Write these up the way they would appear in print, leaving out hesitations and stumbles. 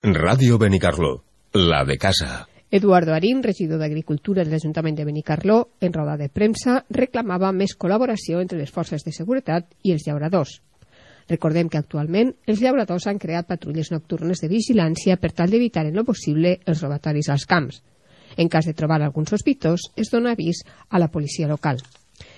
Ràdio Benicarló, la de casa. Eduardo Arín, regidor d'Agricultura de l'Ajuntament de Benicarló, en roda de premsa, reclamava més col·laboració entre les forces de seguretat i els llauradors. Recordem que actualment els llauradors han creat patrulles nocturnes de vigilància per tal d'evitar en lo possible els robatoris als camps. En cas de trobar algun sospitós, es dona avís a la policia local.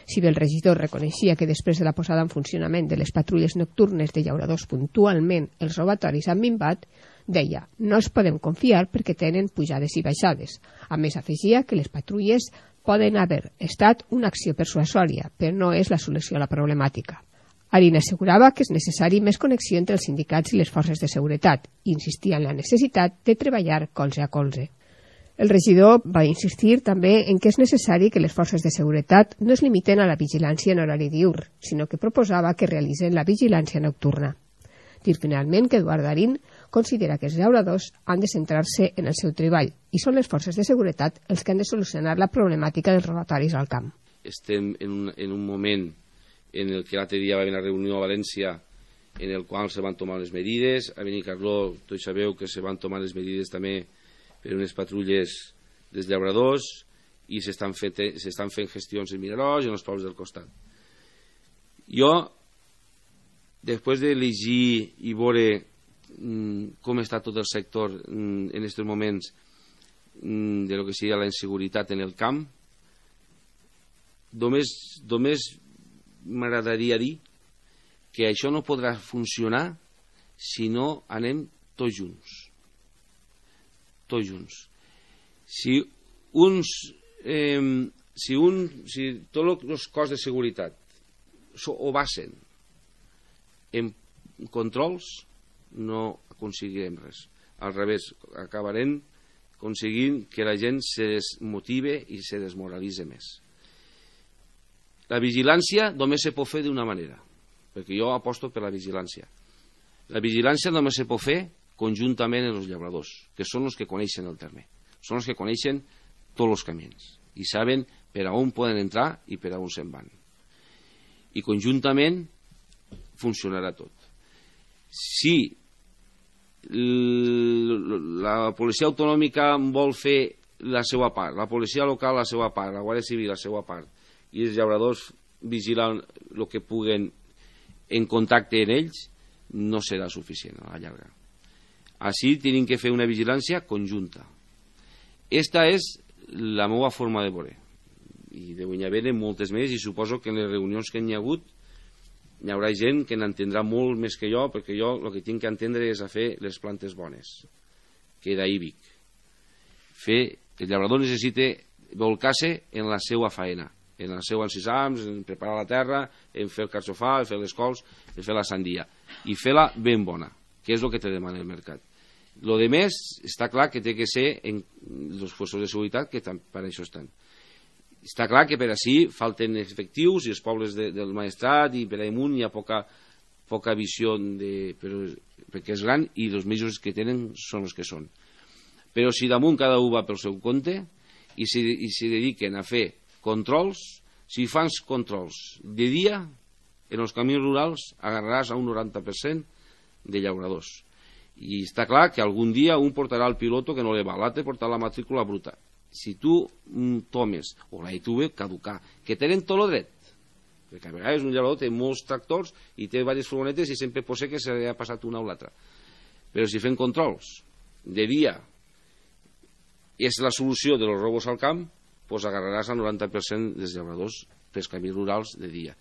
Si bé el regidor reconeixia que després de la posada en funcionament de les patrulles nocturnes de llauradors puntualment els robatoris han minvat, deia, no els podem confiar perquè tenen pujades i baixades. A més, afegia que les patrulles poden haver estat una acció persuasòria, però no és la solució a la problemàtica. Arín assegurava que és necessari més connexió entre els sindicats i les forces de seguretat i insistia en la necessitat de treballar colze a colze. El regidor va insistir també en que és necessari que les forces de seguretat no es limiten a la vigilància en horari diürn, sinó que proposava que realitzen la vigilància nocturna. Dir finalment que Eduard Arín considera que els llauradors han de centrar-se en el seu treball i són les forces de seguretat els que han de solucionar la problemàtica dels robatoris al camp. Estem en un moment en el que l'altre dia va haver una reunió a València en el qual se van tomar les medides. A Benicarló, tots sabeu que se van tomar les medides també per unes patrulles dels llauradors i s'estan fent gestions en Miraroix i en els pobles del costat. Jo, després de llegir i veure com està tot el sector en aquests moments de lo que seria la inseguretat en el camp, només m'agradaria dir que això no podrà funcionar si no anem tots junts. Tots junts. Si tots els cossos de seguretat ho basen en controls, no aconseguirem res. Al revés, acabarem aconseguint que la gent se desmotive i se desmoralitzi més. La vigilància només se pot fer d'una manera, perquè jo aposto per la vigilància. La vigilància només se pot fer conjuntament amb els llauradors, que són els que coneixen el terme, són els que coneixen tots els camins i saben per a on poden entrar i per a on se'n van. I conjuntament funcionarà tot. Si la policia autonòmica vol fer la seva part, la policia local la seva part, la Guàrdia Civil la seva part, i els llauradors vigilant el que puguen en contacte amb ells, no serà suficient a la llarga. Així tenim que fer una vigilància conjunta. Esta és la meva forma de veure. I deuen haver moltes més, i suposo que en les reunions que hi ha hagut hi haurà gent que n'entendrà molt més que jo, perquè jo el que tinc que entendre és a fer les plantes bones, que era híbic. El llaurador necessita volcar-se en la seva faena, en el seu encisams, en preparar la terra, en fer el carxofà, en fer les cols, en fer la sandia, i fer-la ben bona, que és el que te demana el mercat. Lo de més està clar que té que ser en els forços de seguretat, que per això estan. Està clar que per així falten efectius i els pobles del Maestrat i per amunt hi ha poca visió perquè és gran i els mesos que tenen són els que són. Però si damunt cada un va pel seu compte i si dediquen a fer controls, si fans controls de dia en els camins rurals agarraràs a un 90% de llauradors. I està clar que algun dia un portarà el piloto que no li va, l'altre portarà la matrícula bruta. Si tu tomes, o la ITV caducar, que tenen tot el dret, perquè a vegades un llaurador té molts tractors i té diverses furgonetes i sempre pot ser que se li ha passat una o l'altra. Però si fem controls de dia és la solució dels robos al camp, doncs agarraràs al 90% dels llauradors pels camins rurals de dia.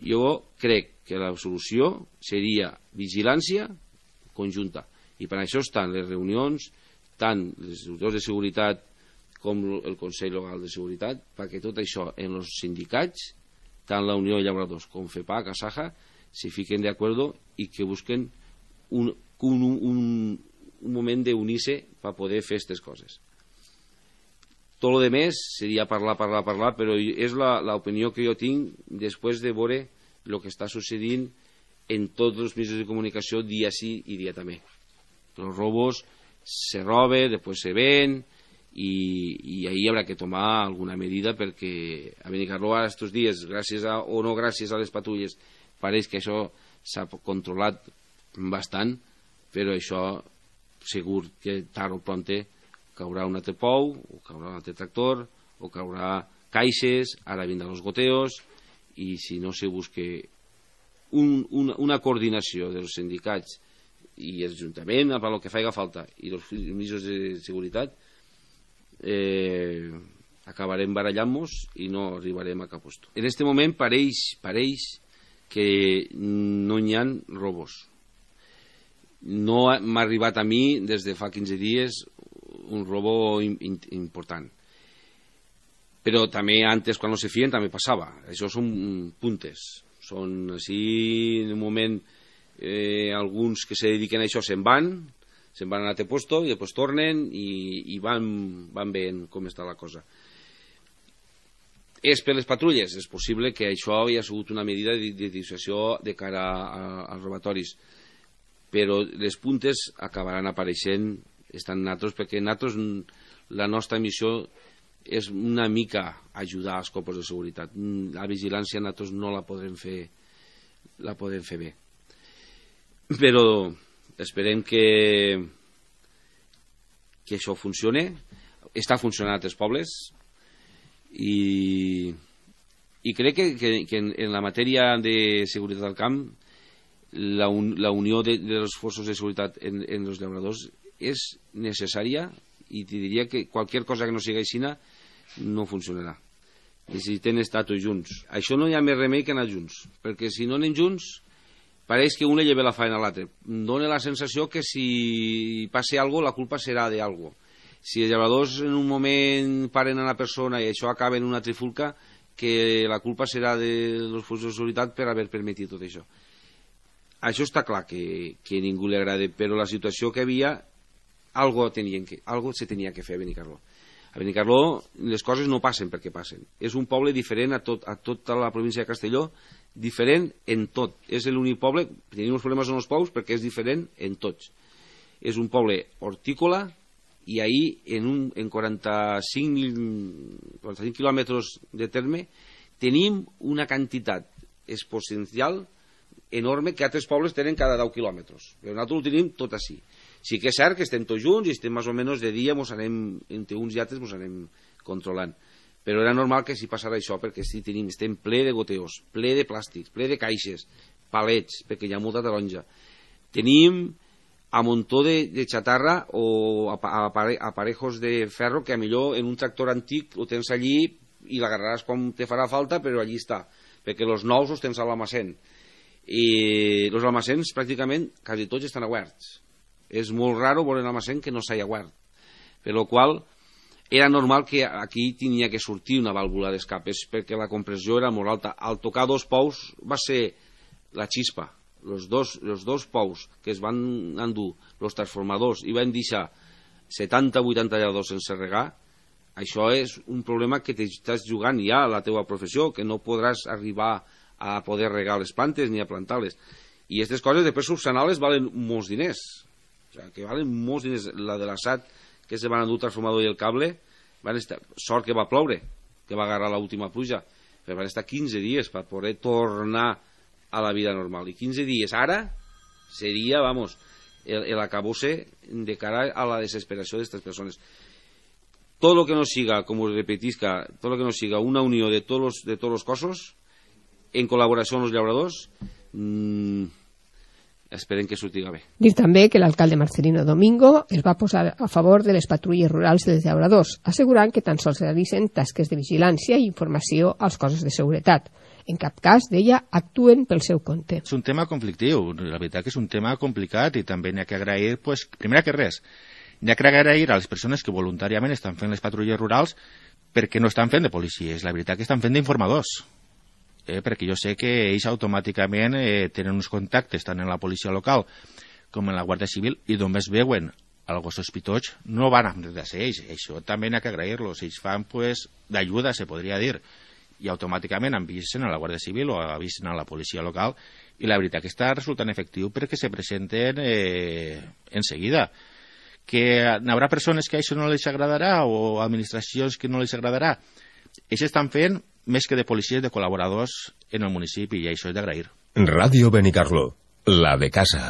Jo crec que la solució seria vigilància conjunta, i per això estan les reunions, tant els instructors de seguretat com el Consell Local de Seguretat, perquè tot això en els sindicats, tant la Unió de Llauradors com FEPAC, ASAJA, se fiquen d'acord i que busquen un moment d'unir-se per poder fer aquestes coses. Tot el més seria parlar, però és l'opinió que jo tinc després de veure el que està succeint en tots els mitjans de comunicació dia sí i dia també. Els robos se roben, després se ven i ahí habrá que tomar alguna medida perquè a Benicarló estos dies, gràcies o no gràcies a les patrulles, pareix que això s'ha controlat bastant, però això segur que tard o pronte caurà un altre pou, o caurà un altre tractor, o caurà caixes, ara vindran els goteos, i si no se busque una coordinació dels sindicats i el Ajuntament per el que faci falta i els permisos de seguretat, acabarem barallant-nos i no arribarem a cap lloc. En aquest moment pareix que no hi ha robos. No m'ha arribat a mi des de fa 15 dies un robo important. Però també antes, quan no se fien, també passava. Això són puntes. Són així, en un moment, alguns que se dediquen a això se'n van a un altre puesto i després tornen i van veient com està la cosa. És per les patrulles. És possible que això havia sigut una medida de dissuasió de cara als robatoris. Però les puntes acabaran apareixent, estan nosaltres, perquè nosaltres, la nostra missió és una mica ajudar als cossos de seguretat. La vigilància nosaltres no la podem fer bé. Però esperem que això funcione. Està funcionant als pobles i crec que en la matèria de seguretat al camp la unió de les forces de seguretat en els llauradors és necessària, i te diria que qualsevol cosa que no sigui així no funcionarà. Necessitem estar tots junts. Això no hi ha més remei que anar junts, perquè si no anem junts pareix que un li lleva la feina a l'altre. Dóna la sensació que si passa alguna cosa la culpa serà d'alguna cosa. Si els llauradors en un moment paren a una persona i això acaba en una trifulca, que la culpa serà de les forces de seguretat per haver permetit tot això. Això està clar que a ningú li agrada, però la situació que havia, algo se tenia que fer a Benicarló. A Benicarló les coses no passen perquè passen. És un poble diferent a tota la província de Castelló, diferent en tot. És l'únic poble, tenim uns problemes en els pous perquè és diferent en tots. És un poble hortícola i ahir en 45 quilòmetres de terme tenim una quantitat exponencial enorme que altres pobles tenen cada 10 quilòmetres. Però nosaltres ho tenim tot així. Sí que és cert que estem tots junts i estem més o menys de dia, entre uns i altres ens anem controlant. Però era normal que si passara això, perquè estem ple de goteos, ple de plàstics, ple de caixes, palets, perquè hi ha molta taronja. Tenim a muntó de xatarra o aparejos de ferro que a millor en un tractor antic ho tens allí i l'agarraràs com te farà falta, però allí està, perquè els nous els tens a l'almacén. I els almacens pràcticament quasi tots estan oberts. És molt raro veure un almacén que no s'hagi obert, per la qual era normal que aquí tenia que sortir una vàlvula d'escape, perquè la compressió era molt alta. Al tocar dos pous va ser la xispa. Els dos pous que es van endur, els transformadors, i van deixar 70-80 lladors sense regar. Això és un problema que t'estàs jugant ja a la teva professió, que no podràs arribar a poder regar les plantes ni a plantar-les. I aquestes coses després subsanar-les valen molts diners. O sigui, que valen molts diners. La de l'assat, que se van endur el transformador i el cable, sort que va ploure, que va agarrar l'última pluja, però van estar 15 dies per poder tornar a la vida normal. I 15 dies ara seria, vamos, l'acabose de cara a la desesperació d'aquestes persones. Tot el que no siga, com us repetisca, tot el que no siga una unió de tots els cossos, en col·laboració amb els llauradors, esperem que sortiga bé. Dir també que l'alcalde Marcelino Domingo es va posar a favor de les patrulles rurals dels llauradors, assegurant que tan sols realitzen tasques de vigilància i informació als cossos de seguretat. En cap cas, deia, actuen pel seu compte. És un tema conflictiu, la veritat que és un tema complicat i també n'hi ha que agrair, pues, primer que res, n'hi ha que agrair a les persones que voluntàriament estan fent les patrulles rurals perquè no estan fent de policies, la veritat que estan fent d'informadors. Perquè jo sé que ells automàticament tenen uns contactes tant en la policia local com en la Guàrdia Civil i només veuen algo sospitós, no van a ser ells. Això també n'hi ha que agrair-los. Ells fan pues, d'ajuda, se podria dir, i automàticament avisen a la Guàrdia Civil o avisen a la policia local, i la veritat que està resultant efectiu perquè se presenten en seguida. Que n'hi haurà persones que això no les agradarà o administracions que no les agradarà. Ells estan fent més que de policies, de col·laboradors en el municipi, i això és d'agrair. Ràdio Benicarló, la de casa.